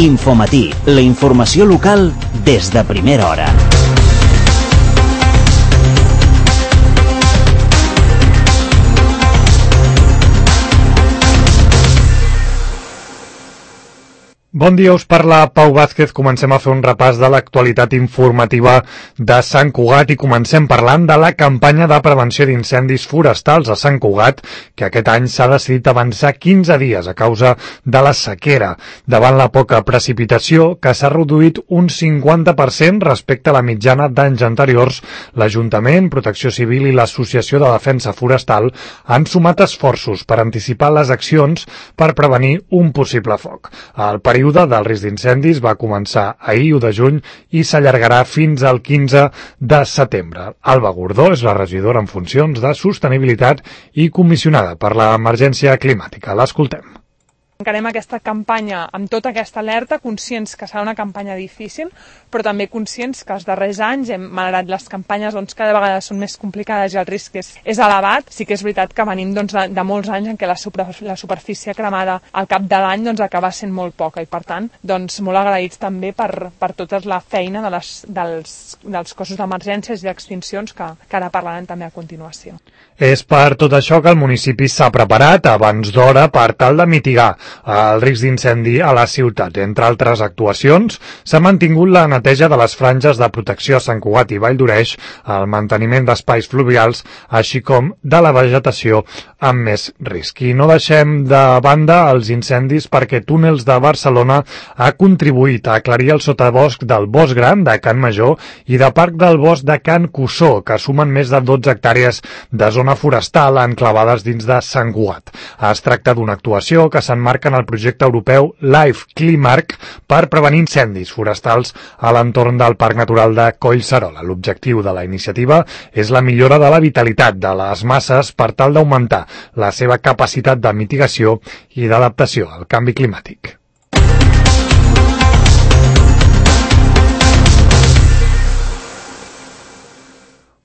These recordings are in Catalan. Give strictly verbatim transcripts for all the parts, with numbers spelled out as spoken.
Infomatí, la informació local des de primera hora. Bon dia, us parla Pau Vázquez. Comencem a fer un repàs de l'actualitat informativa de Sant Cugat i comencem parlant de la campanya de prevenció d'incendis forestals a Sant Cugat, que aquest any s'ha decidit avançar quinze dies a causa de la sequera. Davant la poca precipitació, que s'ha reduït un cinquanta per cent respecte a la mitjana d'anys anteriors, l'Ajuntament, Protecció Civil i l'Associació de Defensa Forestal han sumat esforços per anticipar les accions per prevenir un possible foc. El període del risc d'incendis va començar ahir, u de juny, i s'allargarà fins al quinze de setembre. Alba Gordó és la regidora en funcions de Sostenibilitat i comissionada per l'emergència climàtica. L'escoltem. Encarem aquesta campanya amb tota aquesta alerta, conscients que serà una campanya difícil, però també conscients que els darrers anys, hem, malgrat les campanyes doncs, cada vegada són més complicades i el risc és, és elevat, sí que és veritat que venim doncs, de, de molts anys en què la, super, la superfície cremada al cap de l'any doncs, acaba sent molt poca i, per tant, doncs, molt agraïts també per, per tota la feina de les, dels, dels cossos d'emergències i d'extincions que, que ara parlarem també a continuació. És per tot això que el municipi s'ha preparat abans d'hora per tal de mitigar el risc d'incendi a la ciutat. Entre altres actuacions, s'ha mantingut la neteja de les franges de protecció a Sant Cugat i Vall d'Oreix, el manteniment d'espais fluvials, així com de la vegetació amb més risc. I no deixem de banda els incendis perquè Túnels de Barcelona ha contribuït a aclarir el sotabosc del Bosc Gran de Can Major i de Parc del Bosc de Can Cussó, que sumen més de dotze hectàrees de zona forestal enclavades dins de Sant Cugat. Es tracta d'una actuació que s'emmarca en el projecte europeu Life Climarc per prevenir incendis forestals a l'entorn del Parc Natural de Collserola. L'objectiu de la iniciativa és la millora de la vitalitat de les masses per tal d'augmentar la seva capacitat de mitigació i d'adaptació al canvi climàtic.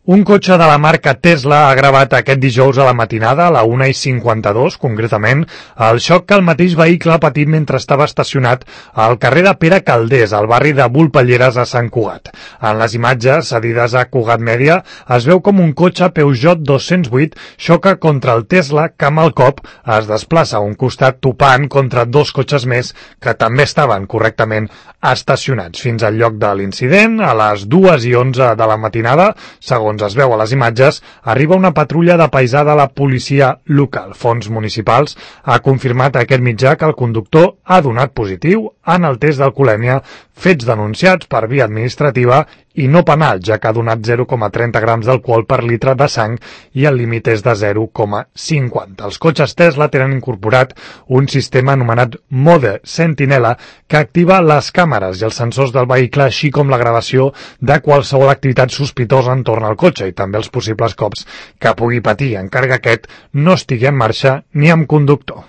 Un cotxe de la marca Tesla ha gravat aquest dijous a la matinada, a la una i cinquanta-dos, concretament, el xoc que el mateix vehicle ha patit mentre estava estacionat al carrer de Pere Calders, al barri de Volpelleres, a Sant Cugat. En les imatges, cedides a Cugat Mèdia, es veu com un cotxe Peugeot dos-cents vuit xoca contra el Tesla, que amb el cop es desplaça a un costat topant contra dos cotxes més que també estaven correctament estacionats. Fins al lloc de l'incident, a les dues i onze de la matinada, segons es veu a les imatges, arriba una patrulla de paisà de la policia local. Fons Municipals ha confirmat a aquest mitjà que el conductor ha donat positiu en el test d'alcoholèmia, fets denunciats per via administrativa i no penal, ja que ha donat zero coma trenta grams d'alcohol per litre de sang i el límit és de zero coma cinquanta. Els cotxes Tesla tenen incorporat un sistema anomenat Mode Sentinella que activa les càmeres i els sensors del vehicle, així com la gravació de qualsevol activitat sospitosa entorn al cotxe i també els possibles cops que pugui patir, encara que aquest no estigui en marxa ni amb conductor.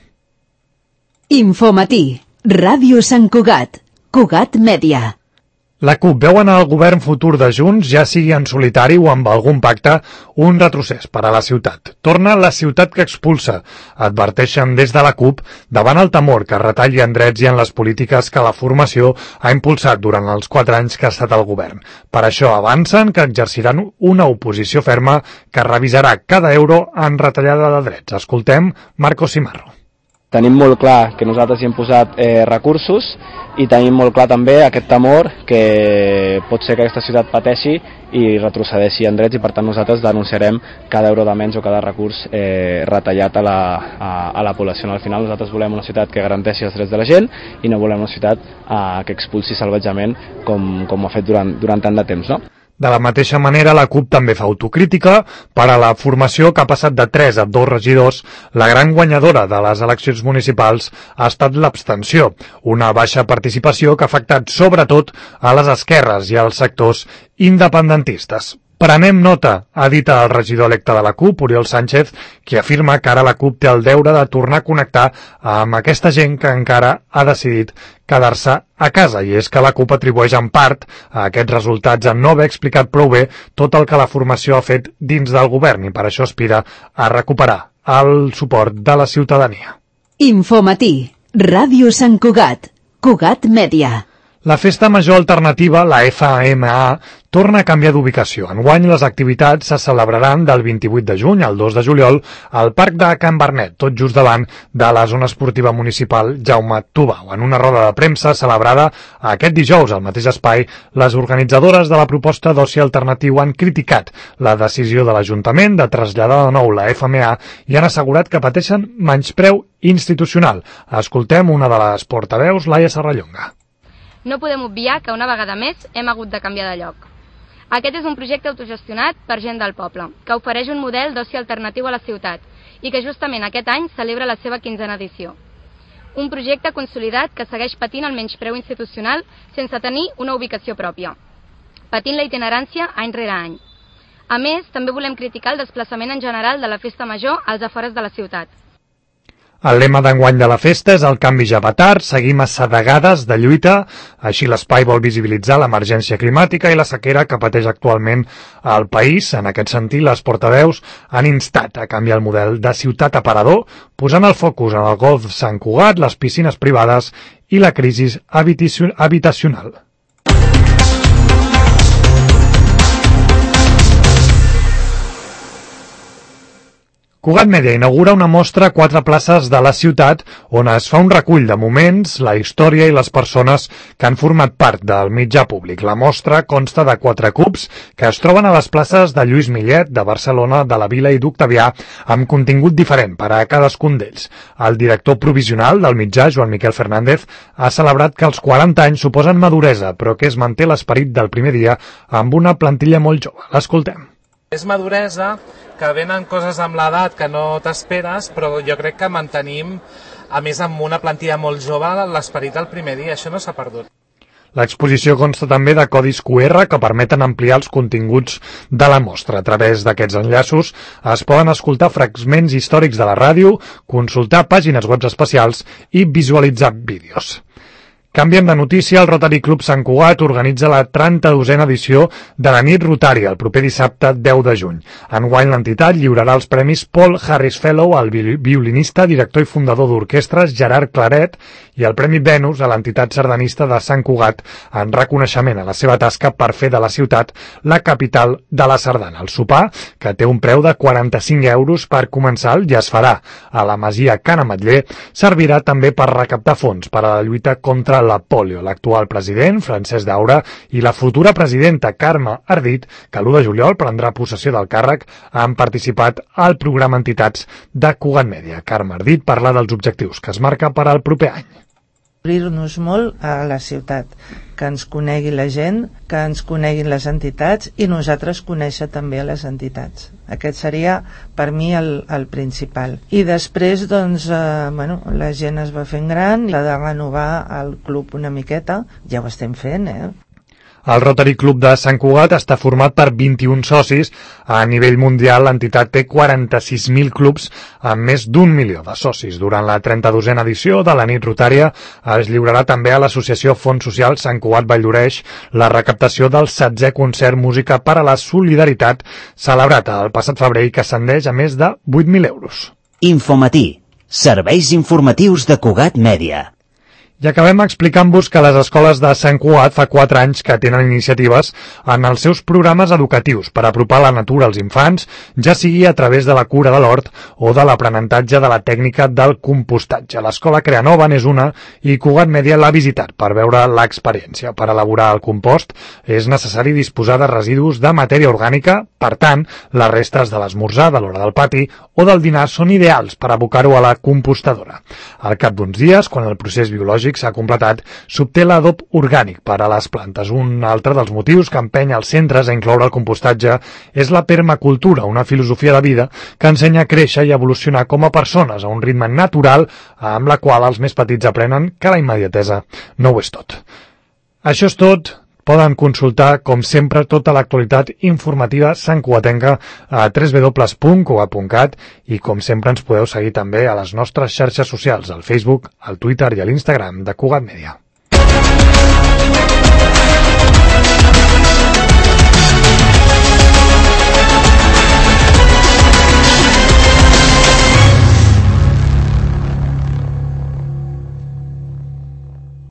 Infomatí, Ràdio Sant Cugat, Cugat Mèdia. La CUP veu en el govern futur de Junts, ja sigui en solitari o amb algun pacte, un retrocés per a la ciutat. Torna la ciutat que expulsa, adverteixen des de la CUP, davant el temor que retalli en drets i en les polítiques que la formació ha impulsat durant els quatre anys que ha estat al govern. Per això avancen que exerciran una oposició ferma que revisarà cada euro en retallada de drets. Escoltem Marco Simarro. Tenim molt clar que nosaltres hi hem posat eh, recursos i tenim molt clar també aquest temor que pot ser que aquesta ciutat pateixi i retrocedeixi en drets i per tant nosaltres denunciarem cada euro de menys o cada recurs eh, retallat a la, a, a la població. Al final nosaltres volem una ciutat que garanteixi els drets de la gent i no volem una ciutat eh, que expulsi salvatjament com, com ho ha fet durant, durant tant de temps, no? De la mateixa manera, la CUP també fa autocrítica per a la formació que ha passat de tres a dos regidors. La gran guanyadora de les eleccions municipals ha estat l'abstenció, una baixa participació que ha afectat sobretot a les esquerres i als sectors independentistes. Prenem nota, ha dit el regidor electe de la CUP, Oriol Sánchez, qui afirma que ara la CUP té el deure de tornar a connectar amb aquesta gent que encara ha decidit quedar-se a casa, i és que la CUP atribueix en part a aquests resultats a no haver explicat prou bé tot el que la formació ha fet dins del govern i per això aspira a recuperar el suport de la ciutadania. Infomatí, Ràdio Sant Cugat, Cugat Mèdia. La Festa Major Alternativa, la F M A, torna a canviar d'ubicació. Enguany les activitats se celebraran del vint-i-vuit de juny al dos de juliol al Parc de Can Barnet, tot just davant de la zona esportiva municipal Jaume Tubau. En una roda de premsa celebrada aquest dijous al mateix espai, les organitzadores de la proposta d'oci alternatiu han criticat la decisió de l'Ajuntament de traslladar de nou la F M A i han assegurat que pateixen menyspreu institucional. Escoltem una de les portaveus, Laia Serrallonga. No podem obviar que una vegada més hem hagut de canviar de lloc. Aquest és un projecte autogestionat per gent del poble, que ofereix un model d'oci alternatiu a la ciutat i que justament aquest any celebra la seva quinzena edició. Un projecte consolidat que segueix patint el menyspreu institucional sense tenir una ubicació pròpia, patint la itinerància any rere any. A més, també volem criticar el desplaçament en general de la festa major als afores de la ciutat. El lema d'enguany de la festa és el canvi ja va tard, seguim assedegades de lluita, així l'espai vol visibilitzar l'emergència climàtica i la sequera que pateix actualment el país. En aquest sentit, les portaveus han instat a canviar el model de ciutat aparador, posant el focus en el golf Sant Cugat, les piscines privades i la crisi habitacional. Cugat Mèdia inaugura una mostra a quatre places de la ciutat on es fa un recull de moments, la història i les persones que han format part del mitjà públic. La mostra consta de quatre cubs que es troben a les places de Lluís Millet, de Barcelona, de la Vila i d'Octavià, amb contingut diferent per a cadascun d'ells. El director provisional del mitjà, Joan Miquel Fernández, ha celebrat que els quaranta anys suposen maduresa, però que es manté l'esperit del primer dia amb una plantilla molt jove. L'escoltem. És maduresa, que venen coses amb l'edat que no t'esperes, però jo crec que mantenim, a més amb una plantilla molt jove, l'esperit del primer dia, això no s'ha perdut. L'exposició consta també de codis Q R que permeten ampliar els continguts de la mostra. A través d'aquests enllaços es poden escoltar fragments històrics de la ràdio, consultar pàgines web especials i visualitzar vídeos. Canviem de notícia, el Rotary Club Sant Cugat organitza la trenta-dosena edició de la nit rotària el proper dissabte deu de juny. Enguany l'entitat lliurarà els premis Paul Harris Fellow al violinista, director i fundador d'orquestres Gerard Claret i el Premi Venus a l'entitat sardanista de Sant Cugat en reconeixement a la seva tasca per fer de la ciutat la capital de la sardana. El sopar, que té un preu de quaranta-cinc euros per començar i es farà a la Masia Can Ametller, servirà també per recaptar fons per a la lluita contra la pòlio. L'actual president, Francesc Daura, i la futura presidenta, Carme Ardit, que l'u de juliol prendrà possessió del càrrec, han participat al programa Entitats de Cugat Mèdia. Carme Ardit parla dels objectius que es marca per al proper any. Obrir-nos molt a la ciutat, que ens conegui la gent, que ens coneguin les entitats i nosaltres conèixer també les entitats. Aquest seria per mi el, el principal. I després doncs, eh, bueno, la gent es va fent gran, l'ha de renovar el club una miqueta, ja ho estem fent, eh? El Rotary Club de Sant Cugat està format per vint-i-un socis. A nivell mundial, l'entitat té quaranta-sis mil clubs amb més d'un milió de socis. Durant la trenta-dosena edició de la nit rotària es lliurarà també a l'associació Fons Social Sant Cugat Valldoreix la recaptació del setzè concert Música per a la Solidaritat celebrat el passat febrer i que ascendeix a més de vuit mil euros. Infomatí. Serveis informatius de Cugat Mèdia. I acabem explicant-vos que les escoles de Sant Cugat fa quatre anys que tenen iniciatives en els seus programes educatius per apropar la natura als infants, ja sigui a través de la cura de l'hort o de l'aprenentatge de la tècnica del compostatge. L'escola Creanova n'és una i Cugat Mèdia l'ha visitat per veure l'experiència. Per elaborar el compost és necessari disposar de residus de matèria orgànica, per tant, les restes de l'esmorzar, de l'hora del pati o del dinar són ideals per abocar-ho a la compostadora. Al cap d'uns dies, quan el procés biològic s'ha completat, s'obté l'adob orgànic per a les plantes. Un altre dels motius que empeny els centres a incloure el compostatge és la permacultura, una filosofia de vida que ensenya a créixer i evolucionar com a persones a un ritme natural amb la qual els més petits aprenen que la immediatesa no ho és tot. Això és tot. Poden consultar, com sempre, tota l'actualitat informativa santcugatenca a w w w punt cugat punt cat i, com sempre, ens podeu seguir també a les nostres xarxes socials, al Facebook, al Twitter i a l'Instagram de Cugat Mèdia.